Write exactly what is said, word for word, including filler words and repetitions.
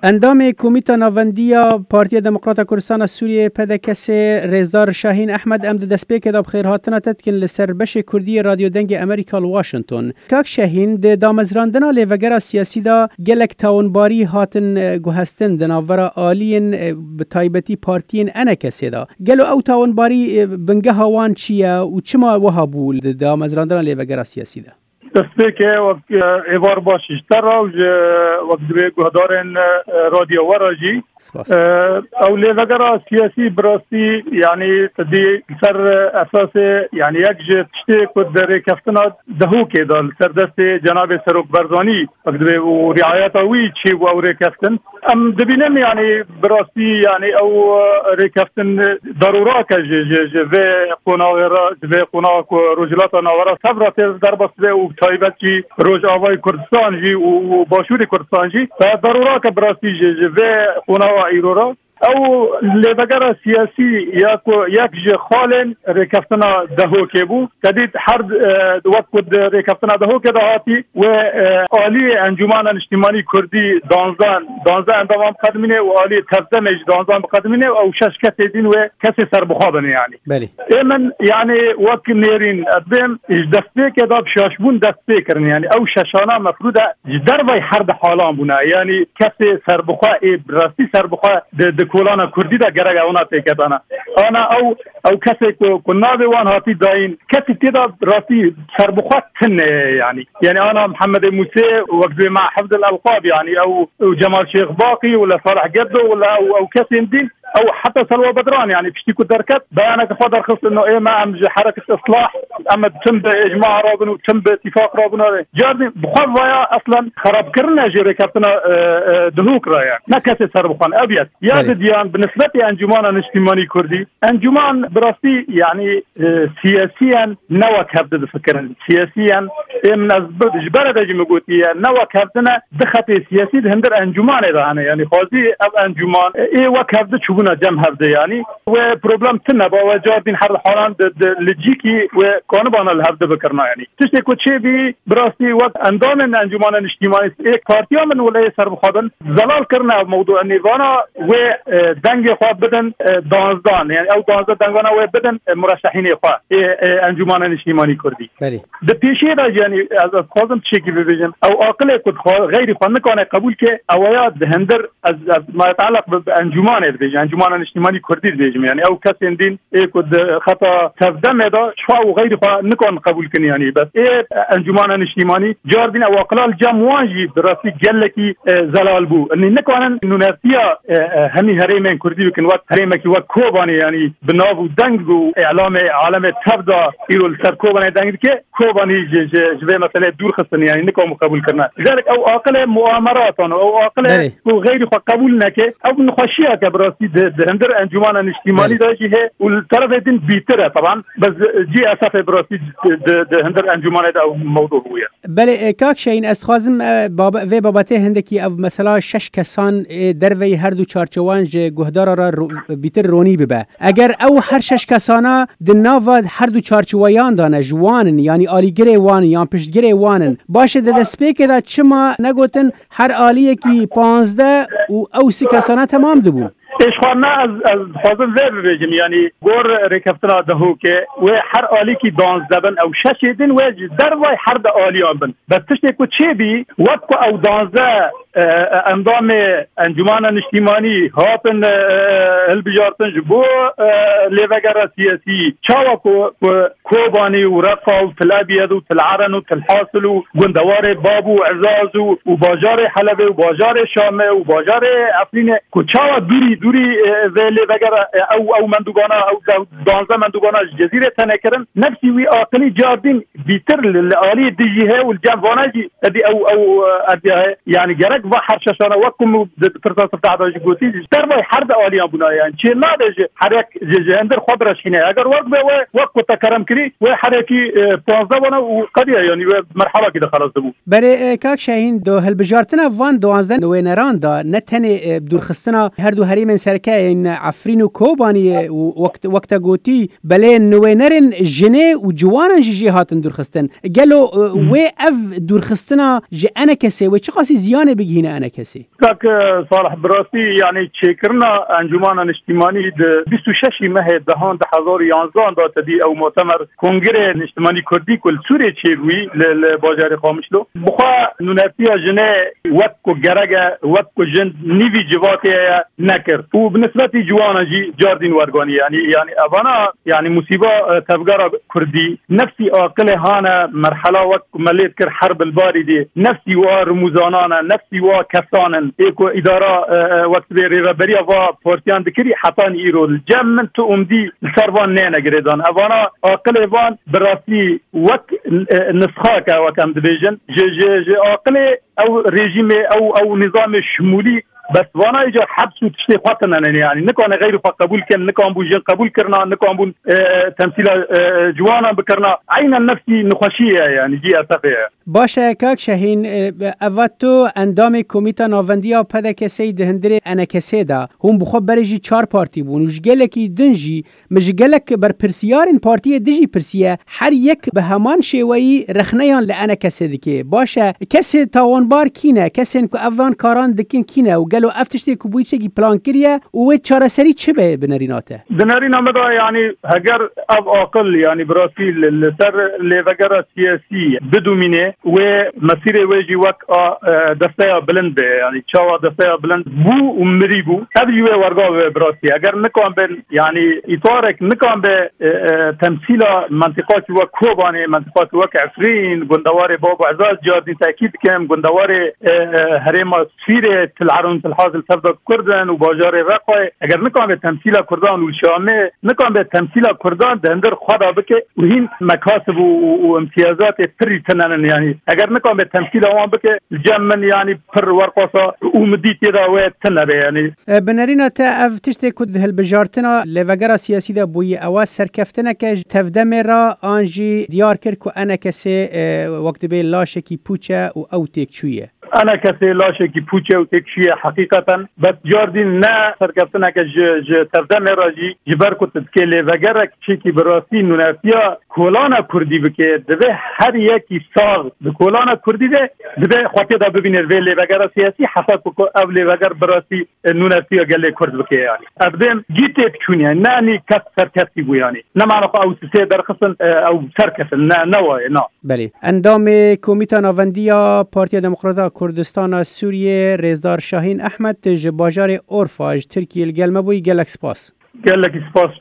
Endamê Komîta Navendî ya Partiya Demokrata Kurdistana Sûriyeyê, P D K S, Rêzdar Şahîn Ehmed, em di destpêkê de bi xêrhatina te dikin li ser beşê Kurdî yê Radyo Dengê Amerîka li Washington. Kak Şahîn, di damezrandina lêvegera siyasî de gelek tawinbarî hatin, e, guhestin di navbera aliyên, e, bi taybetî partiyên E N K S de. Gelo ew tawinbarî, e, bingeha wan çi ye û çima wiha bû di damezrandina lêvegera siyasî de? Destpêkê wek, e, êvar baş ji te re û ji wek divê guhdarên, e, radyo we re jî. Spas. E, ew lêvegera siyasî bi rastî, yanî, tu dî li ser, e, esasê, yanî, yek ji tiştê ku di rêkeftina Dehokê de li ser destê Cenabê Serok Barzanî, wek divê û riayeta wî çêbû ew rêkeftin. Em dibînin, yanî, bi rastî, yanî, ew, e, rêkeftin darûrak e ji, ji, ji vê qonaxê re, ji vê qonaxa ku Rojhilata Navera tevra tê derbas be û bi taybet jî Rojavayê Kurdistan jî û, û Başûrê Kurdistan jî. Te darûrak e bi rastî ji, ji vê qonaxa îro re. Ew lêvegera siyasî ya ku yek ji xalên rêkeftina Dehokê bû. Te dît her, e, wek ku di rêkeftina Dehokê de hatî, wê, e, aliyê Encûmana Niştîmanî Kurdî danzdeh, danzdeh endaman biqedimîne û aliyê Tevdemê jî danzdeh biqedimîne û ew şeş kesê din wê kesê serbixwe bin, yanî. Belê. Ê min, yanî, wek nêrîn, ez bêm, ji destpêkê de bi şaşbûn dest pê kirin. Yanî, ew şeşana mefrûd e ji dervey her di halan bûne. Yanî, kesê serbixwe, ê bi rastî serbixwe di, di kolana kurdî de gerek ewna têketana. Ana ew, ew kesê ku, ku navê wan hatî dayîn, kesî tê de rastî serbixwe tune ye, yanî. Yanî, ana Mihemedê Mûsê, wek divê me Hifz el Elqab, yanî, ew, ew Cemal Şêx Baqî, wila Salih Geddo, wila ew, ew kesên din, ew heta Selwa Bedran, yanî, piştî ku derket, beyaneke xwe derxist, ino ê me em ji hereket Islah, em tim bi ecma re bin û tim bi îtîfaq re bin. Cardin, bi xwe vaya eslen xerabkirin e jê rêkeftina, e, e, Dihok re ye. Ne kesê serbixwe ne. Ev yek. Ya Belê. Didiyan, bi nisbetê Encûmana Niştîmanî Kurdî, Encûman bi rastî, yanî, e, siyasiyen ne wek hevdi difikirin. Siyasiyen, ê min ez bi-, ji berê de jî min gotiye, ne wek hevdi ne, di xetê siyasî di hindir encûmanê de hene. Yanî xwazî ev encûman, e, ê wek hevdi çûbûna cem hevdi, yanî. Wê problem tune ba, wê cardin her halan di, di licîkî wê kanibana li hevdi bikirina, yanî. Tiştê ku çêbî, bi rastî wek endamên Encûmana Niştîmanî, ê partiya min wila ê serbixwe bin, zelal kirine ev mewdû. Nêvana wê, e, dengê xwe bidin, e, danzdan. Yanî ew danzdeh dengana wê bidin, e, mureşehînê xwe, ê, e, Encûmana Niştîmanî Kurdî. Belê. Di pêşiyê de jî, yanî ez, ez dixwazim tiştekî bibêjim. Ew aqilê ku dixwa-, xeyrî xwe nikane qebûl ke, ew ya di hindir, ez, ez ma yeteelleq bi, bi encûmanê dibêjim, Encûmana Niştîmanî Kurdî dibêjim. Yanî ew kesên din ê ku di xeta Tevdemê de çawa û xeyrî xwe nikan qebûl kin, yanî bes ê Encûmana Niştîmanî cardin ew aqila li cem wan jî bi rastî gelekî, e, zelal bû. Yanî nikanin nûnertiya, e, e, hemî herêmên Kurdî bikin wek herêmekî wek Kobanê, yanî bi nav û deng û îlamê alemê tev de îro li ser Kobanê deng dike. Kobanî ji, ji, ji vê meseleyê dûr xistin, yanî nikamu qebûl kirine. Ji derek ew aqilê muameratan û ew aqilê Belê. Ku xeyrî xwe qebûl neke, ew nexweşiyeke bi rastî di, di hindir encûmana niştîmanî Belê. De jî heye û li terefê din bîtir e, teban. Bes cî esefê bi rastî di, di, di hindir encûmanê de ew mewdû bûye. Belê, e, kak Şehîn, ez dixwazim, e, bab-, vê babetê hindekî ev mesela şeş kesan, e, derveyî her du çarçewan ji guhdara re ro-, bîtir ronî bibe. Eger ew her şeş kesana di nava her du çarçiweyan de ne, ji wan in, yanî alîgirê wan in, yan piştgirê wan in, baş e, di destpêkê de çima negotin her aliyekî panzdeh û ew sî kesana temam dibûn? Ê, ji xwe me ez, ez dixwazim vê bibêjim, yanî gor rêkeftina Dehokê wê her alîkî danzdeh bin, ew şeşê din wê ji dervay her di aliyan bin. Bes tiştê ku çêbî, wek ku ew danzdeh, e, e, endamê Encûmana Niştîmanî hatin, e, e, hilbijartin ji bo, e, lêvegera siyasî, çawa ku, ku Kobanî û Reqa û Til Ebyed û Til Eren û Til Hasil û gundewarê Bab û Ezaz û, û bajarê Helebê û bajarê Şamê û bajarê Efrînê, ku çawa dûrî, dûrî, e, vê lêvegera, e, ew, ew mendûbana, ew de-, danzdeh mendûbana ji Cezîrê tenê kirin, nefsî wî aqilî cardin bîtir li, li aliyê dijî heye û li cem vana jî, edî ew, ew, e, edî heye. Yanî gerek va her şeşana wek ku min di, di pirsa siftah de jî gotî, ji dervay her di aliyan bûna, yanî çê nabe ji herek ji, ji hindir xwe bireşîne. Eger wek be we, wek ku te kerem kirî, we herekî, e, panzdeh bana û qediya, yanî we merhebakî de xelas dibû. Belê, e, kak Şehîn, do hilbijartina van duwazdeh nûêneran de ne tenê, e, dûrxistina her du herêmên sereke yên Efrîn û Kobaniyê û wek, wek te gotî, belê nûênerên jinê û ciwanan jî jê hatin dûrxistin. Gelo, e, Hmm. wê ev dûrxistina ji enekesê wê çiqasî ziyanê bigihîne? hîne enekesê. Kak Salih, bi rastî, yanî çêkirina Encûmana Niştîmanî di bîst û şeş mehê dehan du hezar û yanzdehan de tedî ew mutemer Kongrê Niştimanî Kurdî ku li Sûrê çêbûyî li, li bajarê Qamişlo, bi xwe nûnertiya jinê wek ku gerek e, wek ku jin nîvî civatê ye, nekir. Û bi nisbetî ciwanan jî cardîn werganî. Yanî, yanî evana, yanî musîba, e, tevgera Kurdî, nefsî aqilê hane merhela wek ku me lê dikir herb li barî dê, nefsî wa rimûzanan e, nefsî wa kesan in. Ê ku îdara, e, e, wek dibê rêveberiya va partiyan dikirî, hetanî îro li cem min tu umdî li ser van nêne girêdan. Evana aqilê van bi rastî wek, e, nisxak e, wek em dibêjin, ji, ji, ji aqilê ew rejîmê, ew, ew nîzamê şimûlî, bes vana îcar heps û tiştê xwe tine ne, yanî nikane xeyrî xwe qebûl kin, nikan bû jin qebûl kirina, nikan bûn, e, temsîla, e, ciwanan bikirina. Eynen nefsî nixweşî ye, yanî cî esefê ye. Baş e, kak Şehîn, e, eva tu endamê Komîta Navendî ya P D K S'ê di hundirê N K S'ê de, hûn bi xwe berê jî çar partî bûn û ji gelekî din jî min ji gelek berpirsiyarên partiyê din jî pirsiye, her yek bi heman şêweyî rexneyan li N K S'ê dike. Baş e, kesê tawanbar kî ne? Kesên ku evan karan dikin kî ne? Û gelo ev tiştê ku bûyî tiştekî plan kiriye û wê çareserî çi be bi nerîna te? Di nerîna me de, yanî heger ev aqil, yanî bi rastî li, li ser lêvegera siyasî bidomîne, wê mesîrê wê jî wek a, e, desteya bilind be, yanî çawa desteya bilind bû û mirî bû, ev jî wê werga be bi rastî. Eger nikan bin, yanî îtarek nikan be, e, e, temsîla mentiqakî wek Kobanê, mentiqakî wek Efrîn, gundewarê Bab û Ezaz, cardîn tekîd dikim, gundewarê, e, e, herêma Sîrê, Til Erûn, Til Hazil, Tevda Kurd in û bajarê Reqayê, eger nikan be temsîla Kurdan û Şamê, nikan be temsîla Kurdan di hundir xwe de bike û hîn mekasib û, û, û imtiyazatê pirî tine nin, yanî eger nikan be temsîla wan bike, li cem min, yanî pir werqasa umidî tê de wê tine be, yanî. E, bi nerîna te ev tiştê ku di hilbijartina lêvegera siyasî de bûyî, ewa serkeftineke ji tevdemê re an jî diyar kir ku N K S'ê, e, wek dibê laşekî pûç e û ew têkçûye? N K S'ê laşekî pûç e û têkçû ye heqîqeten. Bes cardîn ne serkeftineke ji, ji tevdemê re jî, ji ber ku tu dikê lêvegerek çêkî bi rastî nûnertiya kolana kurdî bike, divê her yekî sax di kolana kurdî de divê xwe tê de bibînir vê lêvegera siyasî, heta ku, ku ev lêveger bi rastî, e, nûnertiya gelê kurd bike, yanî. Ev dêm gî têkçûn, yanî ne, nî kes serkefî bû, yanî. Ne mana xwe ew sisê derxistin, e, ew serketin, ne, ne waye, na. Belê. Endamê Komîta Navendî ya Partiya Demokrata Kurdistana Sûriyê, Rêzdar Şahîn Ehmed, ji bajarê Orfa ji Tirkiyê li gel me bûyî, gelek spas. Gelekî spas